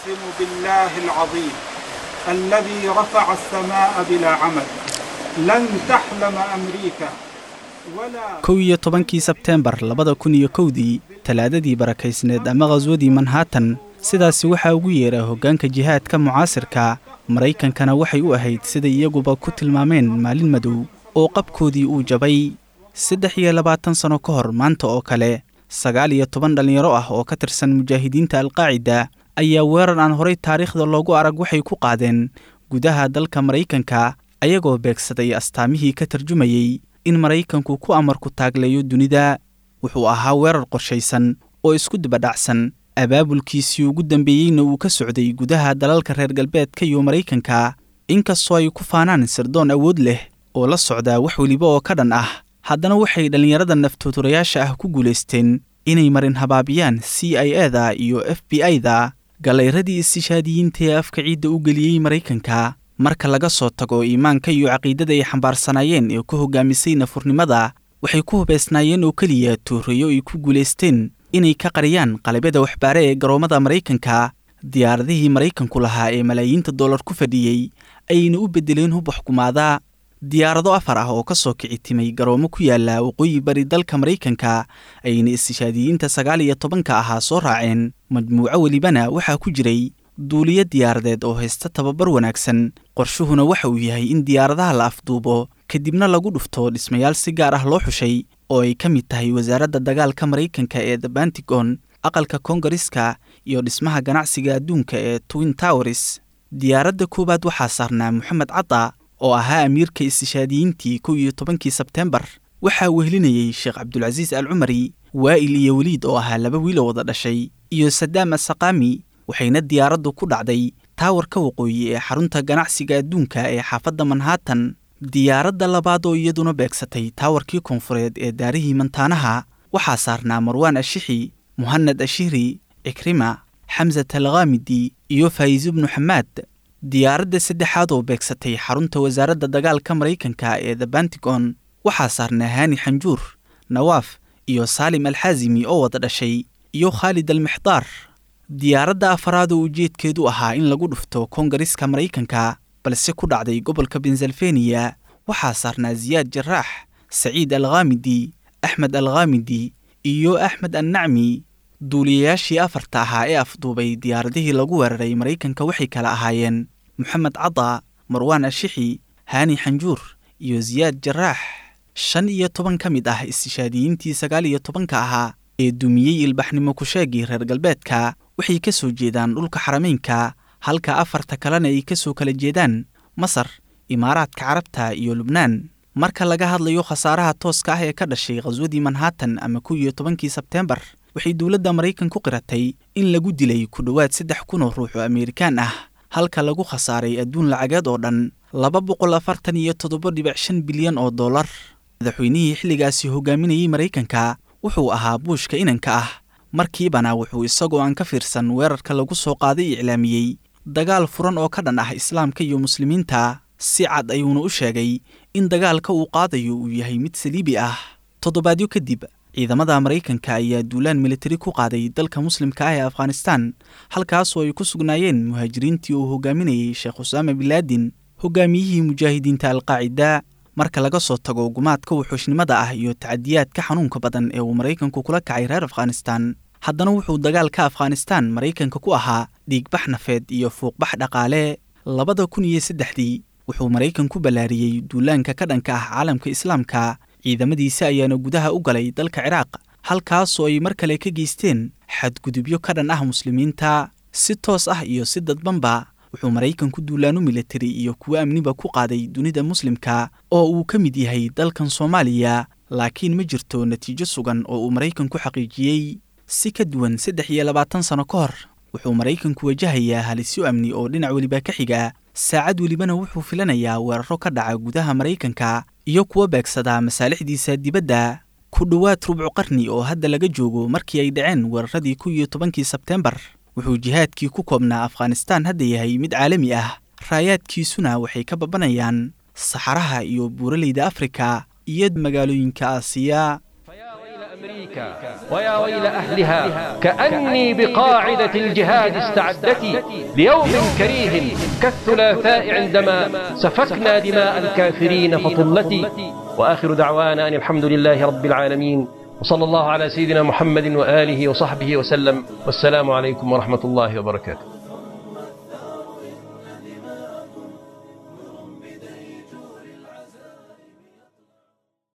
أقسم بالله العظيم الذي رفع السماء بلا عمد لن تحلم أمريكا ولا 11-kii Sebteembar 2001-dii, Talaadadii barakaysneed ama khaswadii Manhattan, sidaasi waxaa ugu yeera hoggaanka jihaadka mucaasirka. Maraykankana waxay u ahayd, sida iyaguba ku tilmaameen, maalin madow oo qabkoodii uu jabay. 23 sano ka hor maanta oo kale, 19 dhallinyaro ah oo ka tirsan mujaahidiinta Alqaacida ayaa weerar aan horay taariikhda loogu arag waxay ku qaadeen gudaha dalka Maraykanka, ayagoo beegsaday astaamihii ka tarjumayey in Maraykanku ku amarku taagleeyo dunida. Wuxuu ahaa weerar qorshaysan oo isku dibadhacsan, abaabulkiisii ugu dambeeyeyna uu ka socday gudaha dalalka reer galbeedka iyo Maraykanka. Inkastoo ay ku faanaan sirdoon awood leh oo la socdaa wax weliba oo ka dhan ah, haddana waxay dhallinyarada naftooturayaasha ah ku guulaysteen inay marin habaabiyaan CIA da iyo FBI da. Galayradii istishaadiyiinta ee afka ciidda u geliyey Maraykanka, marka laga soo tago iimaanka iyo caqiidada ay xambaarsanaayeen ee ku hogaamisay nafurnimada, waxay ku hubaysnaayeen oo keliya tuureeyo ay ku guulaysteen inay ka qariyaan qalabyada waxbaare ee garoommada Maraykanka. Diyaaradihii Maraykanku lahaa ee malaayiinta dollar ku fadhiyey ayayna u beddeleen hub waxkumaada. Diyaarado afar ah oo ka soo kici timay garoomo ku yaala waqooyi bari dalka Maraykanka ayayna istishaadiyiinta 19-ka ahaa soo raaceen. Majmuuco welibana waxaa ku jiray duuliyo diyaaradeed oo haysta tababar wanaagsan. Qorshuhuna waxa uu yahay in diyaaradaha la afduubo, kadibna lagu dhufto dhismayaal si gaar ah loo xushay oo ay ka mid tahay wasaaradda dagaalka Maraykanka ee The Pentagon, aqalka Koongariska iyo dhismaha ganacsiga adduunka ee Twin Towers. Diyaaradda koowaad waxaa saarnaa Moxamed Cadda oo ahaa amiirka istishaadiyiintii 11-kii Sebteembar. Waxaa wehelinayey Sheekh Cabdulcasiis Al Cumari, Waa'il iyo Weliid oo ahaa laba wiil oo wada dhashay, iyo Sadaam Asaqaami. Waxayna diyaaraddu ku dhacday taawarka waqooyi ee xarunta ganacsiga adduunka ee xaafadda Manhattan. Diyaaradda labaad oo iyaduna beegsatay taawarkii koonfureed ee daarihii mantaanaha waxaa saarnaa Marwaan Ashixi, Muhanad Ashihri, Cikrima, Xamsat Alkhaamidi iyo Faa'iis ibnu Xamaad. Diyaaradda saddexaad oo beegsatay xarunta wasaaradda dagaalka Maraykanka ee The Pentagon waxaa saarnaa Haani Xanjuur, Nawaaf iyo Saalim Alxaasimi oo wada dhashay, iyo Khaalid Almixdaar. Diyaaradda afaraad oo ujeedkeedu ahaa in lagu dhufto Koongariska Maraykanka balse ku dhacday gobolka Pennsylvania waxaa saarnaa Siyaad Jaraax, Saciid Alkhaamidi, Axmed Alkhaamidi iyo Axmed Annacmi. Duuliyayaashii afarta ahaa ee afduubay diyaaradihii lagu weeraray Maraykanka waxay kala ahaayeen Moxamed Cadda, Marwaan Ashixi, Haani Xanjuur iyo Siyaad Jaraax. 15 ka mid ah istishaadiyiintii 19-ka ahaa ee dumiyey ilbaxnimo kusheegii reer galbeedka waxay ka soo jeedaan dhulka Xarameynka, halka afarta kalena ay ka soo kala jeedaan Masar, Imaaraadka Carabta iyo Lubnaan. Marka laga hadlayo khasaaraha tooska ah ee ka dhashay khaswadii Manhattan ama 11-kii Sebteembar, waxay dowladda Maraykan ku qiratay in lagu dilay ku dhowaad 3000 oo ruux oo Ameerikaan ah, halka lagu khasaaray adduun lacageed oo dhan 247.5 bilyan oo dollar. Madaxweynihii xilligaasi hogaaminayey Maraykanka wuxuu ahaa Buushka inanka ah. Markiibana wuxuu isagoo aan ka fiirsan weerarka lagu soo qaaday iclaamiyey dagaal furan oo ka dhan ah islaamka iyo muslimiinta. Si cad ayuuna u sheegay in dagaalka uu qaadayo uu yahay mid saliibi ah. Toddobaadyo kadib, ciidamada Maraykanka ayaa duulaan militari ku qaaday dalka muslimka ah ee Afghanistan, halkaasoo ay ku sugnaayeen muhaajiriintii uu hogaaminayey Sheekh Usaama Bilaadin, hogaamiyihii mujaahidiinta Alqaacida. Marka laga soo tago gumaadka wuxuushnimada ah iyo tacadiyaadka xanuunka badan ee uu Maraykanku kula kacay reer Afghanistan, haddana wuxuu dagaalka Afghanistan Maraykanka ku ahaa dhiigbax nafeed iyo fuuqbax dhaqaale. 2003-dii wuxuu Maraykanku ballaariyey duulaanka ka dhanka ah caalamka islaamka. Ciidamadiisa ayaana gudaha u galay dalka Ciraaq, halkaasoo ay mar kale ka geysteen xadgudubyo ka dhan ah muslimiinta si toos ah iyo si dadbanba. Wuxuu Maraykanku duulaano militari iyo kuwo amniba ku qaaday dunida muslimka oo uu ka mid yahay dalkan Soomaaliya, laakiin ma jirto natiijo sugan oo uu Maraykanku xaqiijiyey. Si ka duwan 23 sano ka hor, wuxuu Maraykanku wajahayaa halisyo amni oo dhinac weliba ka xiga. Saacad welibana wuxuu filanayaa weeraro ka dhaca gudaha Maraykanka iyo kuwa beegsada masaalixdiisa dibadda. Ku dhowaad rubcu qarni oo hadda laga joogo markii ay dhaceen weeraradii 11-kii Sebteembar, wuxuu jihaadkii ku koobnaa Afghanistan hadda yahay mid caalami ah. Raayaadkiisuna waxay ka babanayaan saxaraha iyo buuraleyda Afrika iyo magaalooyinka Aasiya. فيا ويل ويا ويل أهلها كأني بقاعدة الجهاد استعدتي ليوم كريه كالثلاثاء عندما سفكنا دماء الكافرين فطلتي. وآخر دعوانا أن الحمد لله رب العالمين، وصلى الله على سيدنا محمد وآله وصحبه وسلم، والسلام عليكم ورحمة الله وبركاته.